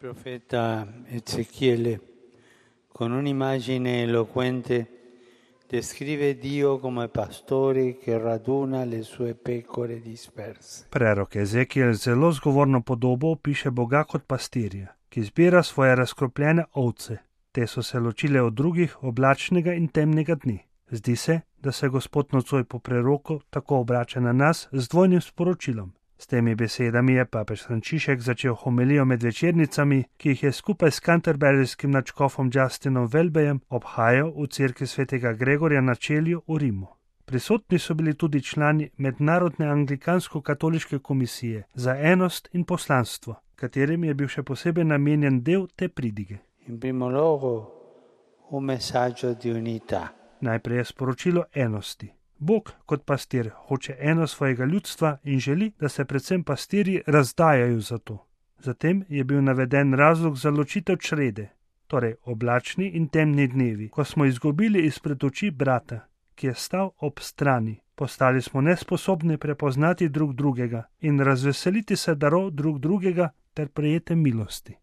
profeta Ezechiele, con un'immagine eloquente, descrive Dio come pastore che raduna le sue pecore disperse. Prerok Ezekiel zelo zgovorno podobo opiše Boga kot pastirja, ki zbira svoje razkropljene ovce. Te so se ločile od drugih oblačnega in temnega dni. Zdi se, da se Gospod nocoj po preroku tako obrača na nas z dvojnim sporočilom. S temi besedami je papež Frančišek začel homilijo med večernicami, ki jih je skupaj s canterburyjskim nadškofom Justinom Welbyjem obhajal v cerkvi svetega Gregorja na Čelju v Rimu. Prisotni so bili tudi člani Mednarodne anglikansko-katoliške komisije za enost in poslanstvo, katerim je bil še posebej namenjen del te pridige. In primo luogo un messaggio di unità. Najprej je sporočilo enosti. Bog kot pastir hoče eno svojega ljudstva in želi, da se predvsem pastirji razdajajo za to. Zatem je bil naveden razlog za ločitev črede, torej oblačni in temni dnevi, ko smo izgubili izpred oči brata, ki je stal ob strani. Postali smo nesposobni prepoznati drug drugega in razveseliti se darov drug drugega ter prejete milosti.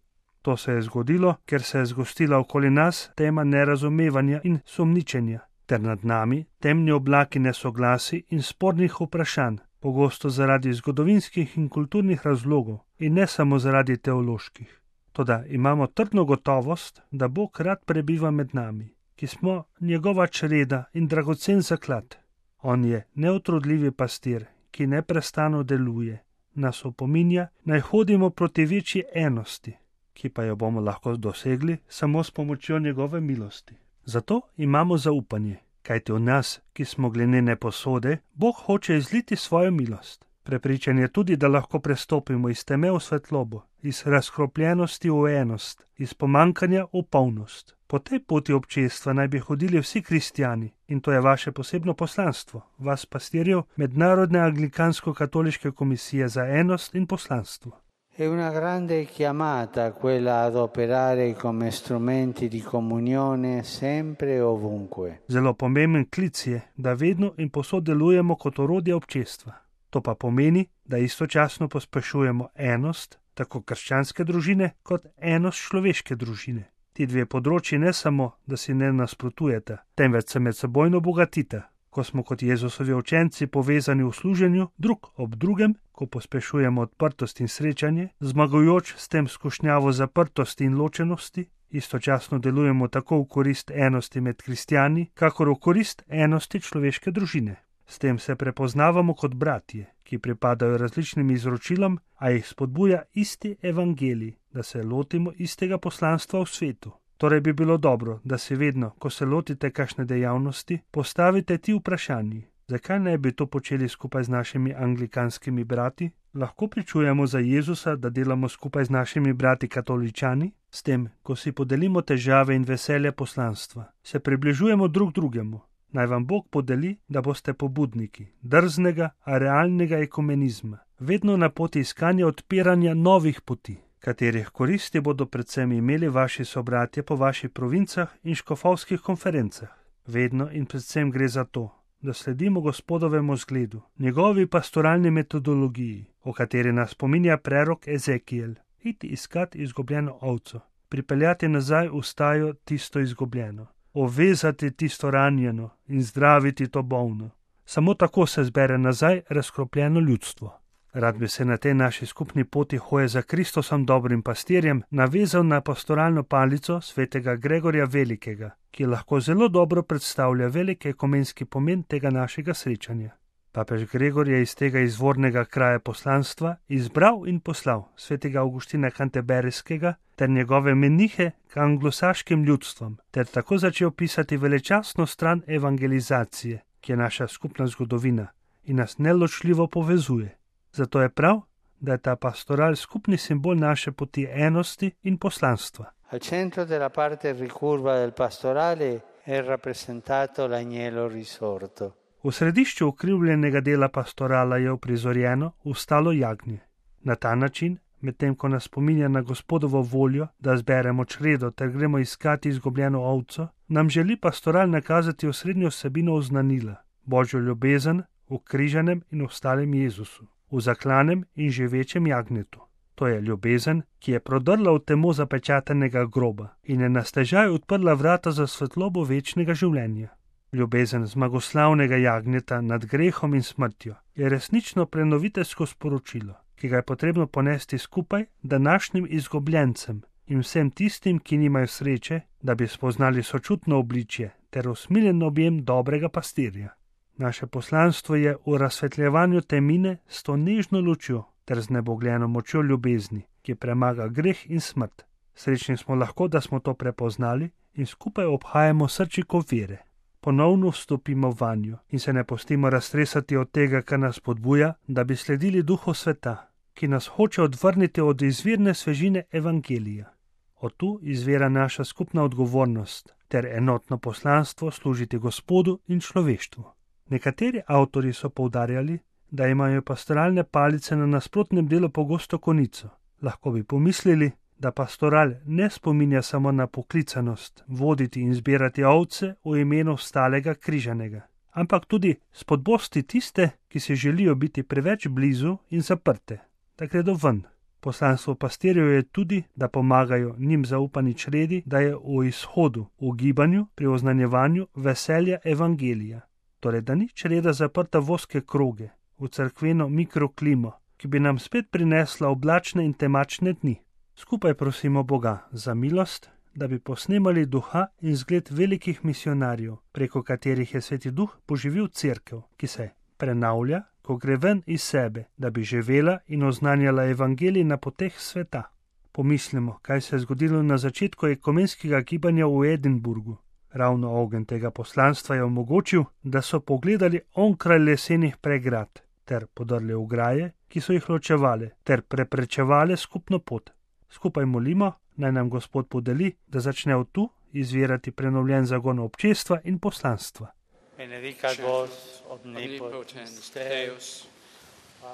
To se je zgodilo, ker se je zgostila okoli nas tema nerazumevanja in sumničenja, ter nad nami temni oblaki nesoglasi in spornih vprašanj, pogosto zaradi zgodovinskih in kulturnih razlogov in ne samo zaradi teoloških. Toda imamo trdno gotovost, da Bog rad prebiva med nami, ki smo njegova čreda in dragocen zaklad. On je neutrudljivi pastir, ki neprestano deluje, nas opominja, naj hodimo proti večji enosti, ki pa jo bomo lahko dosegli samo s pomočjo njegove milosti. Zato imamo zaupanje, kajti v nas, ki smo glinene posode, Bog hoče izliti svojo milost. Prepričan je tudi, da lahko prestopimo iz teme v svetlobo, iz razkropljenosti v enost, iz pomankanja v polnost. Po tej poti občestva naj bi hodili vsi kristjani in to je vaše posebno poslanstvo, vas pastirjev Mednarodne anglikansko-katoliške komisije za enost in poslanstvo. È una grande chiamata quella ad operare come strumenti di comunione sempre e ovunque. Zelo pomemben klic je, da vedno in povsod delujemo kot orodje občestva. To pa pomeni, da istočasno pospešujemo enost, tako krščanske družine, kot enost človeške družine. Ti dve področji ne samo, da si ne nasprotujeta, temveč se medsebojno bogatita. Ko smo kot Jezusovi učenci povezani v služenju, drug ob drugem, ko pospešujemo odprtost in srečanje, zmagujoč s tem skušnjavo zaprtosti in ločenosti, istočasno delujemo tako v korist enosti med kristjani, kakor v korist enosti človeške družine. S tem se prepoznavamo kot bratje, ki pripadajo različnim izročilom, a jih spodbuja isti evangelij, da se lotimo istega poslanstva v svetu. Torej bi bilo dobro, da si vedno, ko se lotite kakšne dejavnosti, postavite ti vprašanji. Zakaj ne bi to počeli skupaj z našimi anglikanskimi brati? Lahko pričujemo za Jezusa, da delamo skupaj z našimi brati katoličani? S tem, ko si podelimo težave in veselje poslanstva, se približujemo drug drugemu. Naj vam Bog podeli, da boste pobudniki drznega, a realnega ekumenizma, vedno na poti iskanja odpiranja novih poti, katerih koristi bodo predvsem imeli vaši sobratje po vaših provincah in škofovskih konferencah. Vedno in predvsem gre za to, da sledimo Gospodovemu zgledu, njegovi pastoralni metodologiji, o kateri nas spominja prerok Ezekiel, iti iskat izgubljeno ovco, pripeljati nazaj v stajo tisto izgubljeno, ovezati tisto ranjeno in zdraviti to bolno. Samo tako se zbere nazaj razkropljeno ljudstvo. Rad bi se na tej naši skupni poti hoje za Kristosom dobrim pastirjem navezal na pastoralno palico svetega Gregorja Velikega, ki lahko zelo dobro predstavlja velik ekumenski pomen tega našega srečanja. Papež Gregor je iz tega izvornega kraja poslanstva izbral in poslal svetega Avguština Canterburyskega ter njegove menihe k anglosaškim ljudstvom, ter tako začel pisati velečastno stran evangelizacije, ki je naša skupna zgodovina in nas neločljivo povezuje. Zato je prav, da je ta pastoral skupni simbol naše poti enosti in poslanstva. Al centro della parte ricurva del pastorale è rappresentato l'agnello risorto. V središču ukrivljenega dela pastorala je uprizorjeno vstalo jagnje. Na ta način, medtem ko nas spominja na Gospodovo voljo, da zberemo čredo ter gremo iskati izgubljeno ovco, nam želi pastoral nakazati osrednjo vsebino oznanila, Božjo ljubezen v križanem in ostalem Jezusu, v zaklanem in živečem jagnjetu. To je ljubezen, ki je prodrla v temo zapečatenega groba in je na stežaj odprla vrata za svetlobo večnega življenja. Ljubezen zmagoslavnega jagnjeta nad grehom in smrtjo je resnično prenoviteljsko sporočilo, ki ga je potrebno ponesti skupaj današnjim izgubljencem in vsem tistim, ki nimajo sreče, da bi spoznali sočutno obličje ter usmiljen objem dobrega pastirja. Naše poslanstvo je v razsvetljevanju temine s to nežno lučjo ter z nebogljeno močjo ljubezni, ki premaga greh in smrt. Srečni smo lahko, da smo to prepoznali in skupaj obhajamo srčiko vere. Ponovno vstopimo vanjo in se ne pustimo raztresati od tega, kar nas podbuja, da bi sledili duhu sveta, ki nas hoče odvrniti od izvirne svežine evangelija. Od tu izvira naša skupna odgovornost ter enotno poslanstvo služiti Gospodu in človeštvu. Nekateri avtorji so poudarjali, da imajo pastoralne palice na nasprotnem delu pogosto konico. Lahko bi pomislili, da pastoral ne spominja samo na poklicanost voditi in zbirati ovce v imenu vstalega križanega, ampak tudi spodbosti tiste, ki si želijo biti preveč blizu in zaprte, da gredo ven. Poslanstvo pastirjev je tudi, da pomagajo njim zaupani čredi, da je v izhodu, v gibanju, pri oznanjevanju veselja evangelija. Torej, da ni čreda zaprta v ozke kroge, v cerkveno mikroklimo, ki bi nam spet prinesla oblačne in temačne dni. Skupaj prosimo Boga za milost, da bi posnemali duha in zgled velikih misionarjev, preko katerih je Sveti Duh poživil cerkev, ki se prenavlja, ko gre ven iz sebe, da bi živela in oznanjala evangelij na poteh sveta. Pomislimo, kaj se je zgodilo na začetku ekumenskega gibanja v Edinburgu. Ravno ogenj tega poslanstva je omogočil, da so pogledali onkraj lesenih pregrad ter podrli ograje, ki so jih ločevale ter preprečevale skupno pot. Skupaj molimo, naj nam Gospod podeli, da začne od tu izvirati prenovljen zagon občestva in poslanstva. Benedicat vos omnipotens Deus,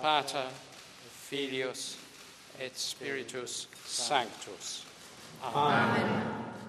Pater, Filius et Spiritus Sanctus. Amen.